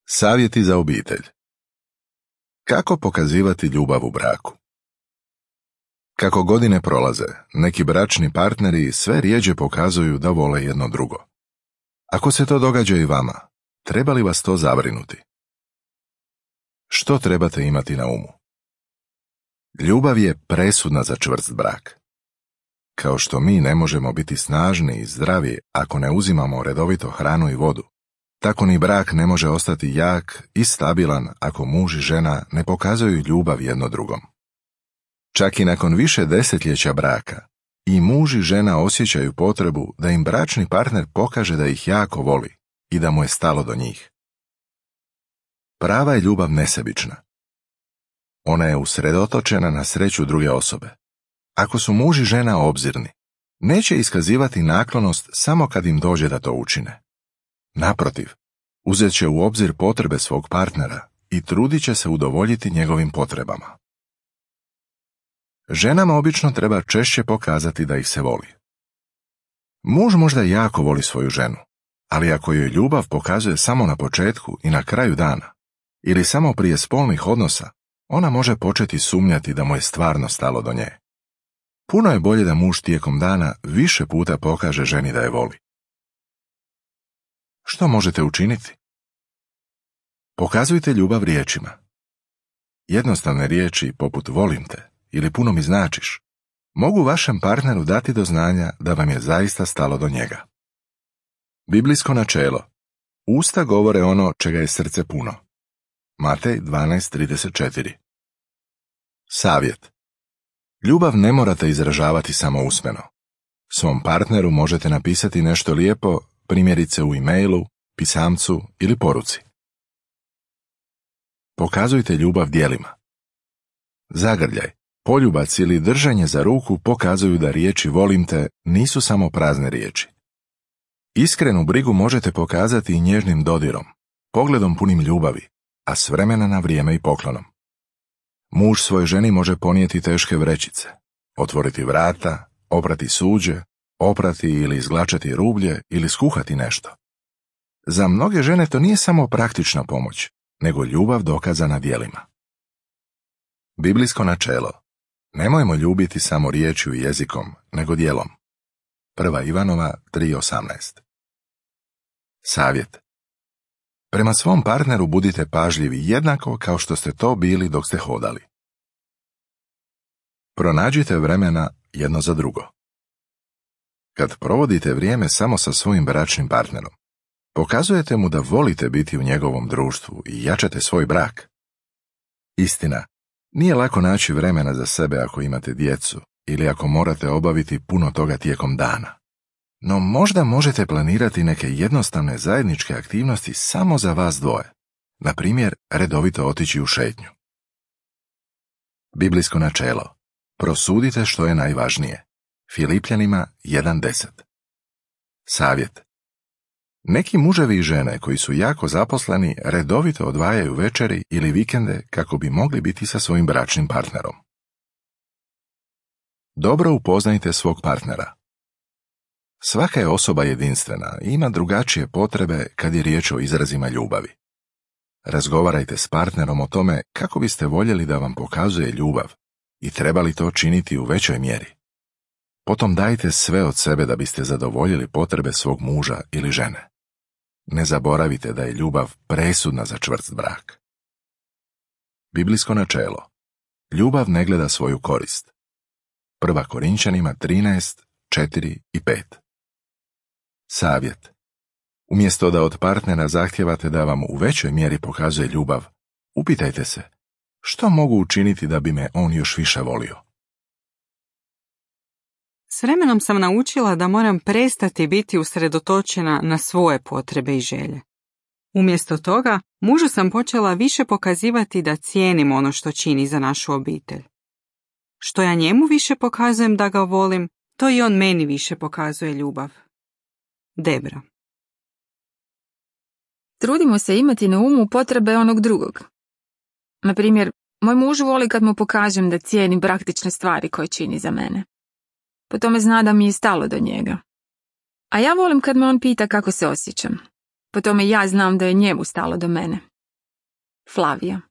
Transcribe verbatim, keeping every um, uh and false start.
Savjeti za obitelj. Kako pokazivati ljubav u braku? Kako godine prolaze, neki bračni partneri sve rjeđe pokazuju da vole jedno drugo. Ako se to događa i vama, treba li vas to zabrinuti? Što trebate imati na umu? Ljubav je presudna za čvrst brak. Kao što mi ne možemo biti snažni i zdravi ako ne uzimamo redovito hranu i vodu, tako ni brak ne može ostati jak i stabilan ako muž i žena ne pokazuju ljubav jedno drugom. Čak i nakon više desetljeća braka, i muž i žena osjećaju potrebu da im bračni partner pokaže da ih jako voli i da mu je stalo do njih. Prava je ljubav nesebična. Ona je usredotočena na sreću druge osobe. Ako su muž i žena obzirni, neće iskazivati naklonost samo kad im dođe da to učine. Naprotiv, uzet će u obzir potrebe svog partnera i trudit će se udovoljiti njegovim potrebama. Ženama obično treba češće pokazati da ih se voli. Muž možda jako voli svoju ženu, ali ako joj ljubav pokazuje samo na početku i na kraju dana, ili samo prije spolnih odnosa, ona može početi sumnjati da mu je stvarno stalo do nje. Puno je bolje da muž tijekom dana više puta pokaže ženi da je voli. Što možete učiniti? Pokazujte ljubav riječima. Jednostavne riječi poput volim te ili puno mi značiš mogu vašem partneru dati do znanja da vam je zaista stalo do njega. Biblijsko načelo. Usta govore ono čega je srce puno. Matej dvanaest trideset četiri. Savjet. Ljubav ne morate izražavati samo usmeno. Svom partneru možete napisati nešto lijepo, primjerice u e-mailu, pisamcu ili poruci. Pokazujte ljubav djelima. Zagrljaj, poljubac ili držanje za ruku pokazuju da riječi volim te nisu samo prazne riječi. Iskrenu brigu možete pokazati i nježnim dodirom, pogledom punim ljubavi, a s vremena na vrijeme i poklonom. Muž svojoj ženi može ponijeti teške vrećice, otvoriti vrata, oprati suđe, oprati ili izglačati rublje ili skuhati nešto. Za mnoge žene to nije samo praktična pomoć, nego ljubav dokazana djelima. Biblijsko načelo. Nemojmo ljubiti samo riječju i jezikom, nego djelom. Prva Ivanova tri osamnaest. Savjet. Prema svom partneru budite pažljivi jednako kao što ste to bili dok ste hodali. Pronađite vremena jedno za drugo. Kad provodite vrijeme samo sa svojim bračnim partnerom, pokazujete mu da volite biti u njegovom društvu i jačate svoj brak. Istina, nije lako naći vremena za sebe ako imate djecu ili ako morate obaviti puno toga tijekom dana. No možda možete planirati neke jednostavne zajedničke aktivnosti samo za vas dvoje. Na primjer, redovito otići u šetnju. Biblijsko načelo. Prosudite što je najvažnije. Filipljanima jedan deset. Savjet. Neki muževi i žene koji su jako zaposleni redovito odvajaju večeri ili vikende kako bi mogli biti sa svojim bračnim partnerom. Dobro upoznajte svog partnera. Svaka je osoba jedinstvena i ima drugačije potrebe kad je riječ o izrazima ljubavi. Razgovarajte s partnerom o tome kako biste voljeli da vam pokazuje ljubav i trebali to činiti u većoj mjeri. Potom dajte sve od sebe da biste zadovoljili potrebe svog muža ili žene. Ne zaboravite da je ljubav presudna za čvrst brak. Biblijsko načelo. Ljubav ne gleda svoju korist. Prva Korinčanima trinaest četiri i pet. Savjet. Umjesto da od partnera zahtijevate da vam u većoj mjeri pokazuje ljubav, upitajte se, što mogu učiniti da bi me on još više volio? S vremenom sam naučila da moram prestati biti usredotočena na svoje potrebe i želje. Umjesto toga, mužu sam počela više pokazivati da cijenim ono što čini za našu obitelj. Što ja njemu više pokazujem da ga volim, to i on meni više pokazuje ljubav. Debra. Trudimo se imati na umu potrebe onog drugog. Na primjer, moj muž voli kad mu pokažem da cijenim praktične stvari koje čini za mene. Po tome zna da mi je stalo do njega. A ja volim kad me on pita kako se osjećam. Po tome ja znam da je njemu stalo do mene Flavija.